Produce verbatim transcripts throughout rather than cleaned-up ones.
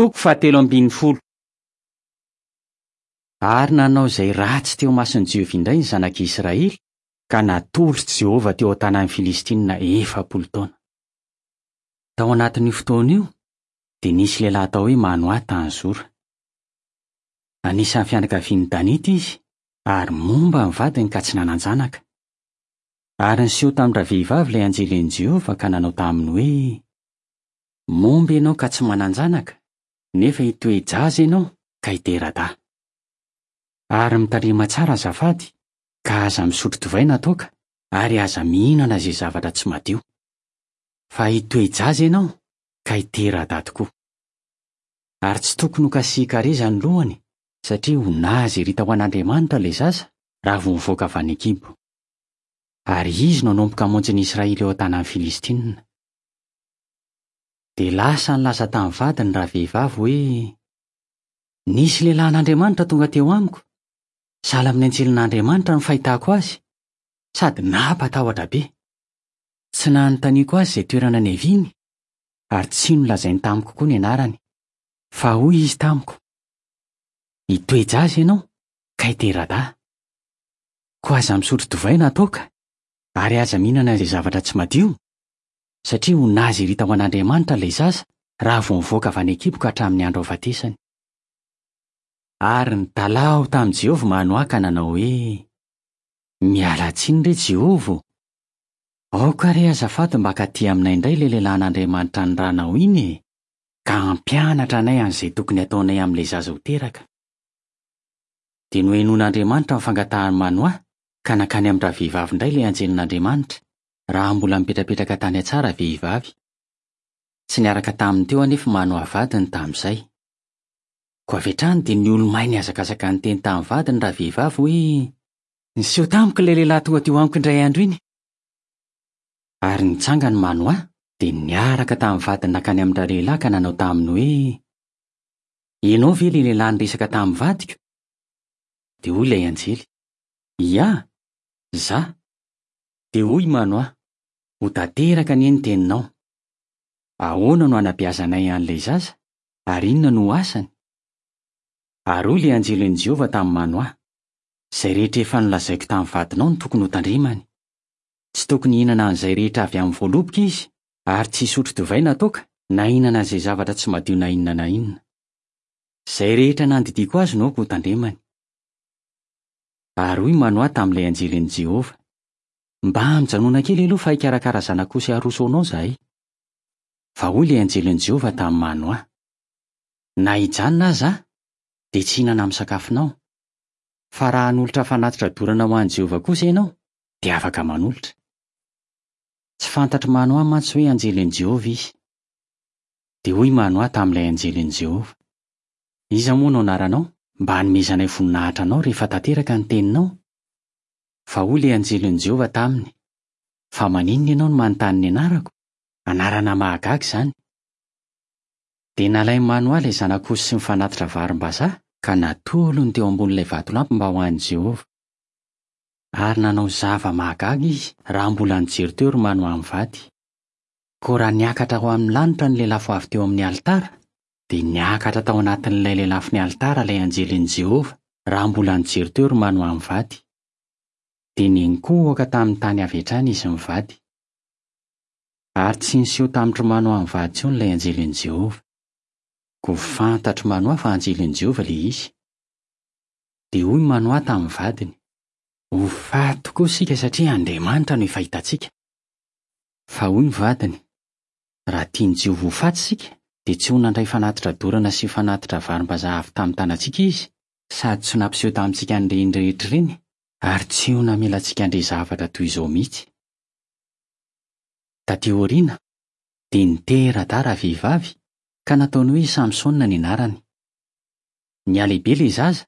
Toko fahatelo ambin'ny folo. Ary nanao izay ratsy teo imason'i Jehovah indray ny zanak'Israely, ka natolotr'i Jehovah teo an-tanan'ny Filistinina efapolo taona. Tao anatin'io fotoana io, dia nisy lehilahy atao hoe Manoa tany Zora. Anisan'ny fianakavian'ny Danita izy, ary momba ny vadiny ka tsy nanan-janaka. Ary niseho tamin-dravehivavy ilay anjelin'i Jehovah ka nanao taminy hoe: "Momba ianao ka tsy manan-janaka, nefa hitoe-jaza ianao ka hitera-dahy. Ary mitandrema tsara azafady, ka aza misotro divay na toaka, ary aza mihinana izay zavatra tsy madio. Fa hitoe-jaza ianao ka hitera-dahy tokoa. Ary tsy tokony ho kasihan-kareza ny lohany, satria ho nazirita ho an'Andriamanitra ilay zaza raha vao mivoaka avy any an-kibo. Ary izy no hanomboka hamonjy ny Israely eo an-tanan'ny Filistinina." Dia lasa nilaza tamin'ny vadiny ravehivavy hoe: "Nisy lehilahin'Andriamanitra tonga teo amiko, sahala amin'ny anjelin'Andriamanitra no fahitako azy, sady nampatahotra be. Tsy nanontaniako azy izay toerana niaviany, ary tsy nolazainy tamiko koa ny anarany. Fa hoy izy tamiko: 'Hitoe-jaza ianao ka hitera-dahy. Koa aza misotro divay na toaka, ary aza mihinana izay zavatra tsy madio, satria ho nazirita ho an'Andriamanitra ilay zaza raha vao mivoaka avy any an-kibo ka hatramin'ny andro hahafatesany." Ary nitalaho tamin'i Jehovah Manoa ka nanao hoe: "Miala tsiny re Jehovah ô! Aoka re azafady mba hankaty aminay indray ilay lehilahin'Andriamanitra niranao iny e, ka hampianatra anay an'izay tokony hataonay amin'ilay zaza ho teraka." Dia nohenoin'Andriamanitra ny fangatahan'i Manoa ka nankany amin-dravehivavy indray ilay anjelin'Andriamanitra, raha mbola mipetrapetraka tany an-tsaha ravehivavy. Tsy niaraka taminy teo anefa Manoa vadiny tamin'izay. Koa avy hatrany dia niolomay nihazakazaka niteny tamin'ny vadiny ravehivavy hoe: "Niseho tamiko ilay lehilahy tonga teo amiko indray andro iny." Ary nitsangana Manoa dia niaraka tamin'ny vadiny nankany amin-dralehilahy ka nanao taminy hoe: "Ianao ve ilay lehilahy niresaka tamin'ny vadiko?" Dia hoy ilay anjely: "Ia, izaho." Dia hoy Manoa: "Ho tanteraka anie ny teninao. Ahoana no hanabeazanay an'ilay zaza, ary inona no ho asany?" Ary hoy ilay anjelin'i Jehovah tamin'i Manoa: "Izay rehetra efa nolazaiko tamin'ny vadinao no tokony hotandremany. Tsy tokony hihinana an'izay rehetra avy amin'ny voaloboka izy, ary tsy hisotro divay na toaka, na hihinana izay zavatra tsy madio na inona na inona. Izay rehetra nandidiako azy no aoka hotandremany." Ary hoy Manoa tamin'ilay anjelin'i Jehovah: "Mba mijanona kely aloha fa hikarakara zanak'osy haroso anao izahay." Fa hoy ilay anjelin'i Jehovah tamin'i Manoa: "Na hijanona aza aho, dia tsy hihinana amin'ny sakafonao. Fa raha hanolotra fanatitra dorana ho an'i Jehovah kosa ianao, dia afaka manolotra." Tsy fantatr'i Manoa mantsy hoe anjelin'i Jehovah izy. Dia hoy Manoa tamin'ilay anjelin'i Jehovah: "Iza moa no anaranao mba hanomezanay voninahitra anao rehefa tanteraka ny teninao?" Fa hoy ilay anjelin'i Jehovah taminy: "Fa maninona ianao no manontany ny anarako? Anarana mahagaga izany." Dia nalain'i Manoa ilay zanak'osy sy ny fanatitra varim-bazaha ka natolony teo ambonin'ilay vatolampy mba ho an'i Jehovah. Ary nanao zava-mahagaga izy raha mbola nijery teo ry Manoa mivady. Koa raha niakatra ho amin'ny lanitra ny lelafo avy teo amin'ny alitara, dia niakatra tao anatin'ilay lelafon'ny alitara ilay anjelin'i Jehovah raha mbola nijery teo ry Manoa mivady. Dia niankohoka tamin'ny tany avy hatrany izy mivady. Ary tsy niseho tamin-dry Manoa mivady intsony ilay anjelin'i Jehovah. Koa fantatr'i Manoa fa anjelin'i Jehovah ilay izy. Dia hoy Manoa tamin'ny vadiny: "Ho faty tokoa isika satria Andriamanitra no efa hitantsika." Fa hoy ny vadiny: "Raha tian'i Jehovah ho faty isika, dia tsy ho nandray fanatitra dorana sy fanatitra varim-bazaha avy tamin'ny tanantsika izy, sady tsy ho nampiseho tamintsika an'ireny rehetra ireny, ary tsy ho namela antsika handre zavatra toy izao mihitsy." Tatỳ aoriana, dia nitera-dahy ravehivavy ka nataony hoe Samsona ny anarany. Nihalehibe ilay zaza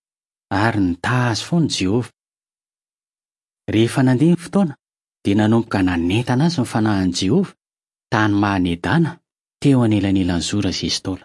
ary nitaha azy foana Jehovah. Rehefa nandeha ny fotoana, dia nanomboka nanentana azy ny fanahin'i Jehovah tany Mahanedana teo anelanelan'i Zora sy Estola.